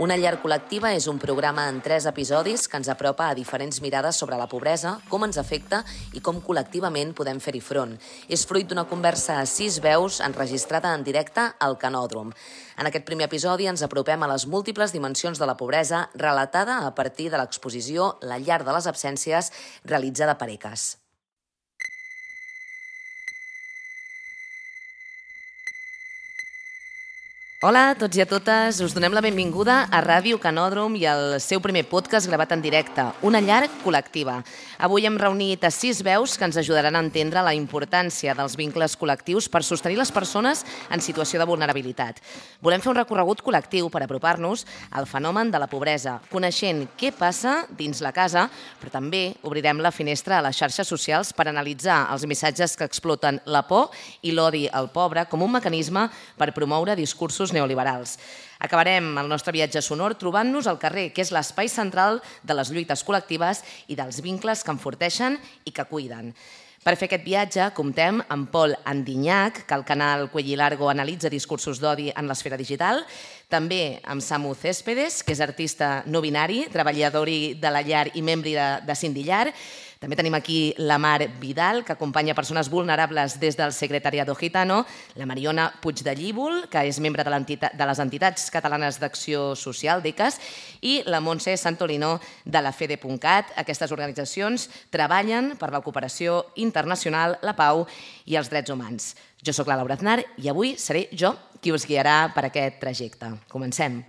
Una llar col·lectiva és un programa en 3 episodis que ens apropa a diferents mirades sobre la pobresa, com ens afecta i com col·lectivament podem fer-hi front. És fruit d'una conversa a 6 veus enregistrada en directe al Canòdrom. En aquest primer episodi ens apropem a les múltiples dimensions de la pobresa relatada a partir de l'exposició La llar de les absències, realitzada per ECAS. Hola a tots i a totes, us donem la benvinguda a Ràdio Canòdrom i al seu primer podcast gravat en directe, Una llar col·lectiva. Avui hem reunit a 6 veus que ens ajudaran a entendre la importància dels vincles col·lectius per sostenir les persones en situació de vulnerabilitat. Volem fer un recorregut col·lectiu per apropar-nos al fenomen de la pobresa, coneixent què passa dins la casa, però també obrirem la finestra a les xarxes socials per analitzar els missatges que exploten la por i l'odi al pobre com un mecanisme per promoure discursos neoliberals. Acabarem el nostre viatge sonor trobant-nos al carrer, que és l'espai central de les lluites col·lectives i dels vincles que enforteixen i que cuiden. Per fer aquest viatge comptem amb Pol Andinyac, que al canal Cuello Largo analitza discursos d'odi en l'esfera digital, també amb Samu Céspedes, que és artista no binari, treballador de la llar i membre de Sindillar. També tenim aquí la Mar Vidal, que acompanya persones vulnerables des del Secretariado Gitano, la Mariona Puig de Llívol, que és membre de les entitats catalanes d'acció social, d'ECAS, i la Montse Santolino de la FEDE.cat. Aquestes organitzacions treballen per la cooperació internacional, la pau i els drets humans. Jo sóc la Laura Aznar i avui seré jo qui us guiarà per aquest trajecte. Comencem.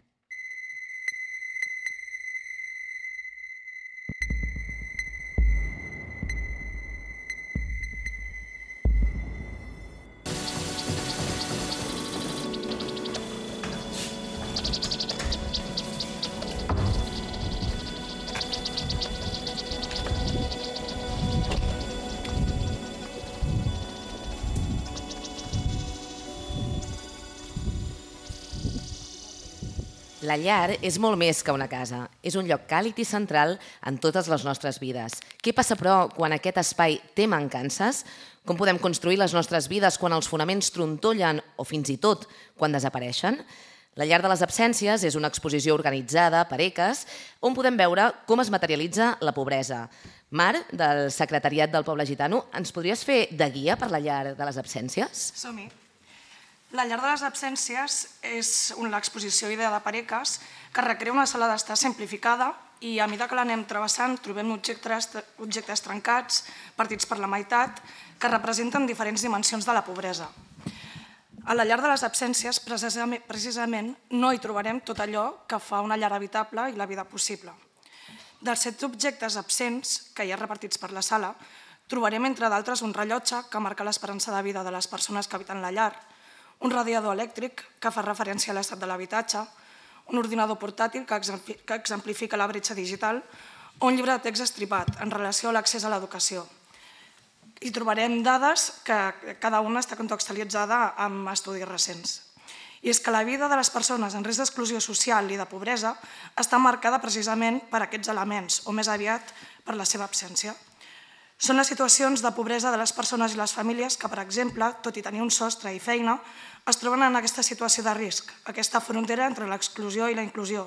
La llar és molt més que una casa. És un lloc càlid i central en totes les nostres vides. Què passa, però, quan aquest espai té mancances? Com podem construir les nostres vides quan els fonaments trontollen o fins i tot quan desapareixen? La llar de les absències és una exposició organitzada per ECAS on podem veure com es materialitza la pobresa. Mar, del Secretariat del Poble Gitano, ens podries fer de guia per la llar de les absències? Som-hi. La llar de les absències és l'exposició ideada per ECAS que recrea una sala d'estar simplificada i a mesura que l'anem travessant trobem objectes trencats, partits per la meitat, que representen diferents dimensions de la pobresa. A la llar de les absències, precisament, no hi trobarem tot allò que fa una llar habitable i la vida possible. Dels 7 objectes absents que hi ha repartits per la sala, trobarem, entre d'altres, un rellotge que marca l'esperança de vida de les persones que habiten la llar, un radiador elèctric que fa referència a l'estat de l'habitatge, un ordinador portàtil que exemplifica la bretxa digital o un llibre de text estripat en relació a l'accés a l'educació. Hi trobarem dades que cada una està contextualitzada amb estudis recents. I és que la vida de les persones en risc d'exclusió social i de pobresa està marcada precisament per aquests elements, o més aviat per la seva absència. Són les situacions de pobresa de les persones i les famílies que, per exemple, tot i tenir un sostre i feina, es troben en aquesta situació de risc, aquesta frontera entre l'exclusió i la inclusió.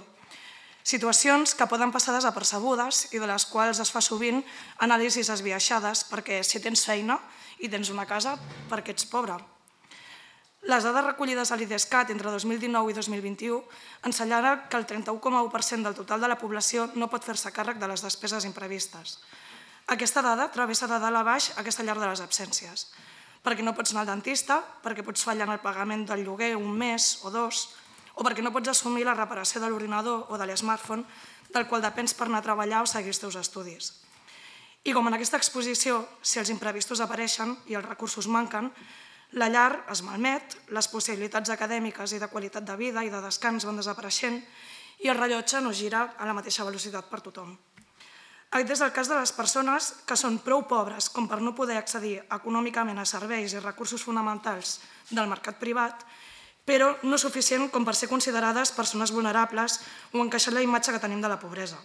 Situacions que poden passar desapercebudes i de les quals es fa sovint anàlisis esbiaixades perquè si tens feina i tens una casa, per què ets pobre? Les dades recollides a l'IDESCAT entre 2019 i 2021 ensenyaran que el 31,1% del total de la població no pot fer-se càrrec de les despeses imprevistes. Aquesta dada travessa de dalt a baix aquesta llar de les absències, perquè no pots anar al dentista, perquè pots fallar en el pagament del lloguer un mes o 2, o perquè no pots assumir la reparació de l'ordinador o de l'smartphone del qual depens per anar a treballar o seguir els teus estudis. I com en aquesta exposició, si els imprevistos apareixen i els recursos manquen, la llar es malmet, les possibilitats acadèmiques i de qualitat de vida i de descans van desapareixent i el rellotge no gira a la mateixa velocitat per tothom. Aquest és el cas de les persones que són prou pobres com per no poder accedir econòmicament a serveis i recursos fonamentals del mercat privat, però no suficient com per ser considerades persones vulnerables o encaixar la imatge que tenim de la pobresa.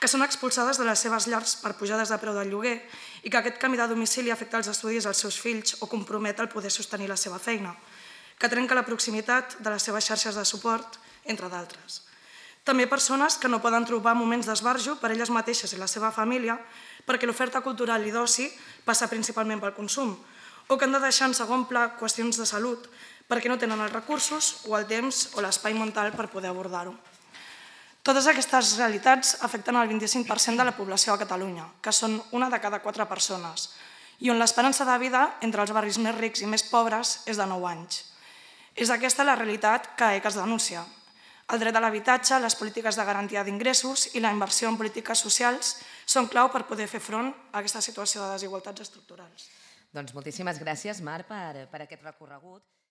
Que són expulsades de les seves llars per pujades de preu del lloguer i que aquest canvi de domicili afecta els estudis dels seus fills o compromet el poder sostenir la seva feina, que trenca la proximitat de les seves xarxes de suport, entre d'altres. També persones que no poden trobar moments d'esbarjo per elles mateixes i la seva família perquè l'oferta cultural i d'oci passa principalment pel consum, o que han de deixar en segon pla qüestions de salut perquè no tenen els recursos o el temps o l'espai mental per poder abordar-ho. Totes aquestes realitats afecten el 25% de la població a Catalunya, que són una de cada 4 persones, i on l'esperança de vida entre els barris més rics i més pobres és de 9 anys. És aquesta la realitat que ECA es denuncia. El dret a l'habitatge, les polítiques de garantia d'ingressos i la inversió en polítiques socials són clau per poder fer front a aquesta situació de desigualtats estructurals. Doncs moltíssimes gràcies, Mar, per aquest recorregut.